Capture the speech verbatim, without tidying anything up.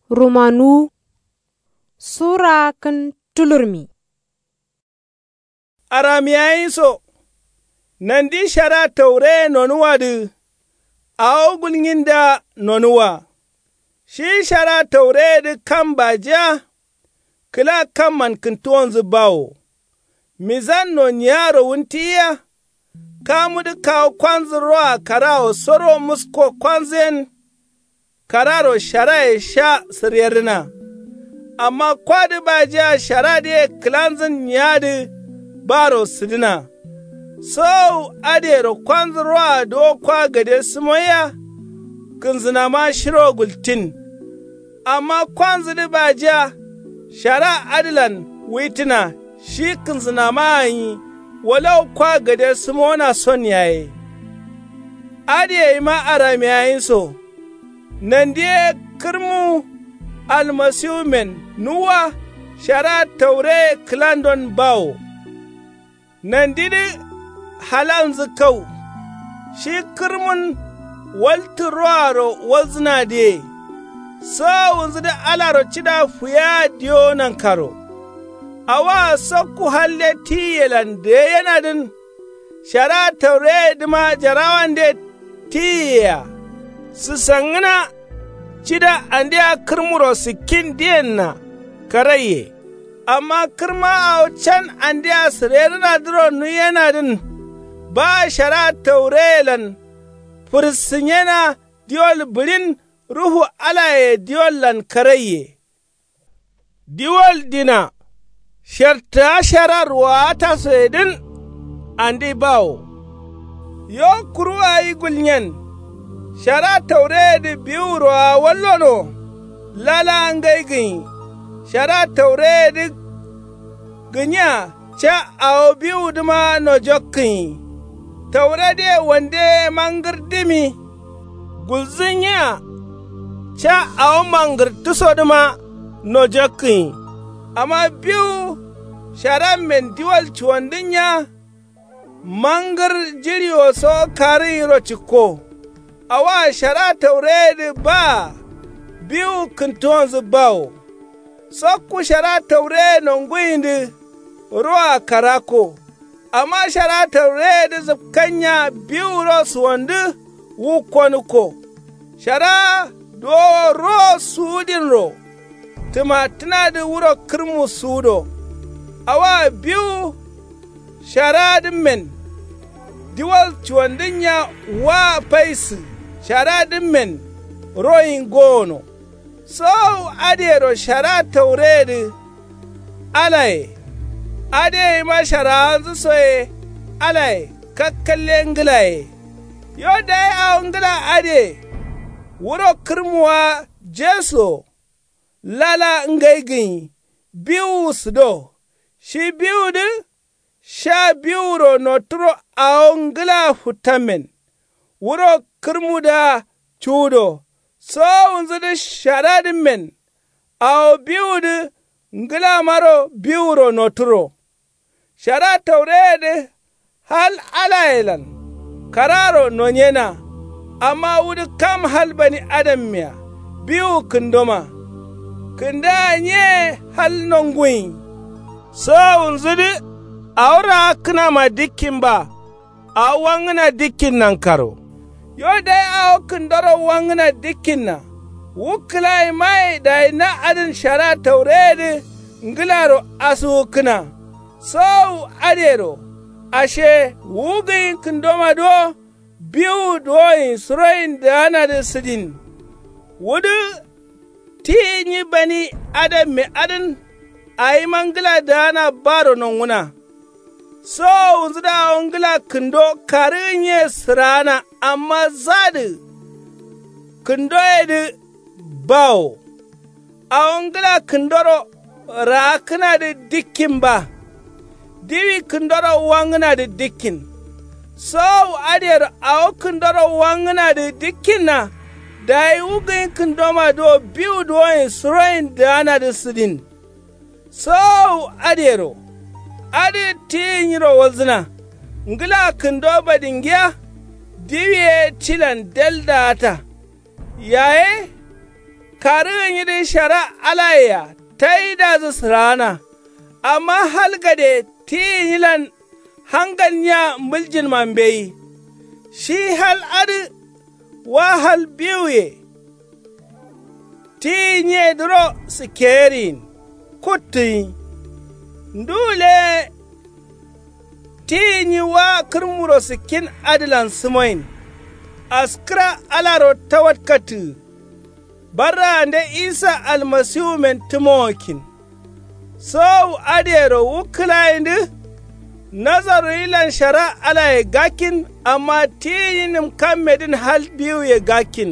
Rumanuwu. Sura kǝn tulurmi. Aramiyayin so. Nandi shara taureye nonuwadǝ. Awo gulnyindǝa nonuwa. Shi shara taureyedǝ kam bajiya. Kǝla kamman kǝntuwonzǝ bawo. Mizan noniyaro wuntiyiya. Kamudǝ kawu kwanzǝ roa karawo soro musko kwanzǝyen. Kararo sharaye sha sǝryerrǝna. Amma kwadǝ bajiya sharadǝye kǝlanzǝn niyadǝ. Baro sǝdǝna. Sowowu adǝyero kwanzǝ roa duwo kwa gade sǝmoiya. Kǝnzǝnama shiro gultin. Amma kwanzǝdǝ bajiya. Shara adǝlan wuitǝna shi kǝnzǝnama gǝnyi. Walau kwa gade sǝmona son yaye. Adǝ yeyima aramiyayin so. Nandi ye kǝrmu. Almasiwumen nuwwa. Shara taureye kǝlandon bawo. Nandidǝ halalnzǝ kau. Shi kǝrmun waltǝ roaro walzǝnadǝye. Sowowunzǝdǝ alaro cida fuyeya diyo nankaro. Awoa sokku halde tiyiyelan deyenadǝn. Shara taureyedǝma jarawande tiyiyea. Sǝsangǝna. Cida andea kǝrmuro sǝkkin diyenna. Karaiye. Amma kǝrma awo can andea sǝrerǝnadǝro nuyenadǝn. Ba shara taureyelan. Fǝrǝsǝnyena diwol bǝɍin. Ruhu alaye diwollan karaiye. Diwol dina. Shartǝa shara ruwaa tasoyedǝn. Andi bawo. Yo kuru awi gulnyen. Shara taureyedǝ biwuroa wallono. Lala ngai gǝnyi. Shara taureyedǝ. Gǝnya ca awo biwudǝma nojokkǝnyi. Tauredǝye wande mangǝrdǝmi. Gulzǝnyiya. Ca awo mangǝrtǝsodǝma. Nojokkǝnyi. Amma biwu. Sharammen diwol cuwandǝnya. Mangǝr jiɍiwoso karǝnyiro cikko. Awoa shara taureyedǝ baa. Biwu kǝntuwonzǝ bawo. Sokku shara taureye nonguyindǝ. Roa karakko. Amma shara taureyedǝ zǝpkanya biwuro suwandǝ. Wukkonǝkko. Shara duwowo ro suwudinro. Tǝmattǝnadǝ wuro kǝrmu suwudo. Awoa biwu. Sharadǝmmen. Diwol cuwandǝnya wa paisǝ. Sharadǝmmen. Royin gowono. Sowowu adǝyero shara taureyedǝ. Alaye. Adǝ yeyima sharawanzǝ soye. Alaye kakkalle ngǝlaye. Yo dayi awo ngǝla adǝye. Wuro kǝrmuwa jesuwo. Lala ngai gǝnyi. Biwuwu sǝdo. Shi biwudǝ. Sha biwuro noturo awo ngǝla futtammen. Wuro kǝrmudǝa cuwudo. Sowowunzudǝ sharadǝmmen. Awo biwudǝ ngǝlamaro biwuro noturo. Shara taureyedǝ. Hal alayelan. Kararo nonyena. Amma wudǝ kam hal bani adammeya. Biwu kǝndoma. Kǝndaa nye hal nonguyin. Sowowunzudǝ. Awo raakkǝnama dikkin ba. Awo wangǝna dikkin nankaro. Yo dayi awo kǝndoro wangǝna dikkinna. Wu kǝlayimaye dayi na adǝn shara taureyedǝ. Ngǝlaro asuwukkǝna. Sowowu adǝyero. Ashe wu gǝnyi kǝndomadǝ wo. Biwu duwoyin suroyin daanadǝ sǝdin. Wudǝ. Tiyi nyi bani adamme adǝn. Awima ngǝla daana baro nonguna. Sowowunzudǝ awo ngǝla kǝndo karǝgǝnye sǝraana amma zadǝ. Kǝndoyedǝ. Bawo. Awo ngǝla kǝndoro raakkǝnadǝ dikkin ba. Diwi kǝndoro wangǝnadǝ dikkin. Sowowu adǝyero awo kǝndoro wangǝnadǝ dikkinna. Dayi wu gǝnyi kǝndomadǝ wo biwu duwoyin suroyin daanadǝ sǝdin. Sowowu adǝyero. Adǝ tiyi nyiro walzǝna. Ngǝla kǝndo badingiya. Diwi ye tilan del daata. Yaye. Karǝgǝnyidǝ shara alayea taidazǝ sǝraana. Amma hal gade ti gǝnyilan hangalnyiya mbuljinma mbeyi. Shi hal adǝ wa hal biwuye. Ti gǝnyiyedǝro sǝkkeyeriyin kuttǝgǝnyi. Ndu leye ti gǝnyi wa kǝrmuro sǝkkin adǝlan sǝmoyin. Askǝra alaro tawatkattǝgǝ. Barraande isa almasiwumen tǝmowokkin. Sowowu adǝyero wu kǝlayindǝ. Nazarruyilan shara alaye gakkin. Amma ti gǝnyi nǝmkammedǝn hal biwuye gakkin.